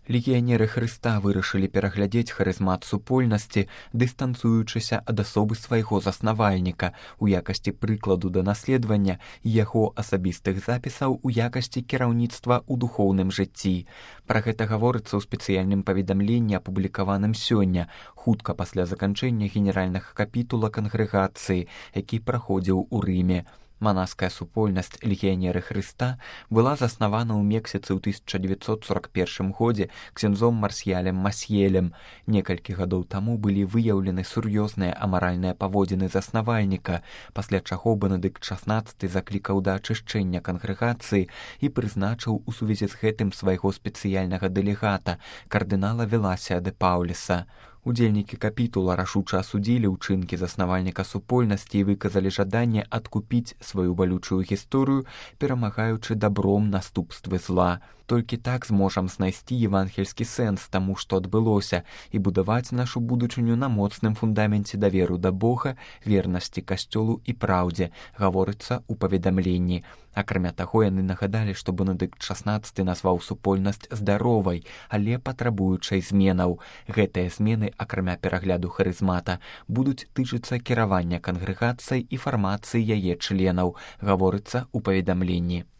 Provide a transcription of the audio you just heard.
Легіянеры Хрыста вырашылі пераглядзець харызмат супольнасці, дыстанцуючыся ад асобы свайго заснавальніка у якасці прыкладу да наследавання яго асабістых запісаў у якасці кіраўніцтва ў духоўным жыцці. Пра гэта гаворыцца ў спецыяльным паведамленні, апублікаваным сёння, хутка пасля заканчэння генеральнага капітула кангрэгацыі, які праходзіў у Рыме. Манаская супольнасць легіянеры Хрыста была заснавана ў Мексіцы ў 1941 годзе ксяндзом Марсьялем Масьелем. Некалькі гадоў таму былі выяўлены сур'ёзныя амаральныя паводзіны заснавальніка, пасля чаго Бенедыкт XVI заклікаў да ачышчэння кангрэгацыі і прызначыў у сувязі з гэтым свайго спецыяльнага дэлегата, кардынала Веласія де Паўлеса. Удзельнікі капітула рашуча асудзілі ўчынкі заснавальніка супольнасці і выказалі жаданне адкупіць сваю балючую гісторыю, перамагаючы дабром наступствы зла. Толькі так зможам знайсці евангельскі сэнс таму, што адбылося, і будаваць нашу будучыню на моцным фундаменце даверу да Бога, вернасці касцёлу і праўдзе, гаворыцца ў паведамленні. Акрамя таго, яны нагадалі, што Бенедыкт XVI назваў супольнасць здаровай, але патрабуючай зменаў. Гэтыя змены, акрамя перагляду харызмата, будуць тычыцца кіравання кангрэгацыяй і фармацыі яе членаў, гаворыцца ў паведамленні.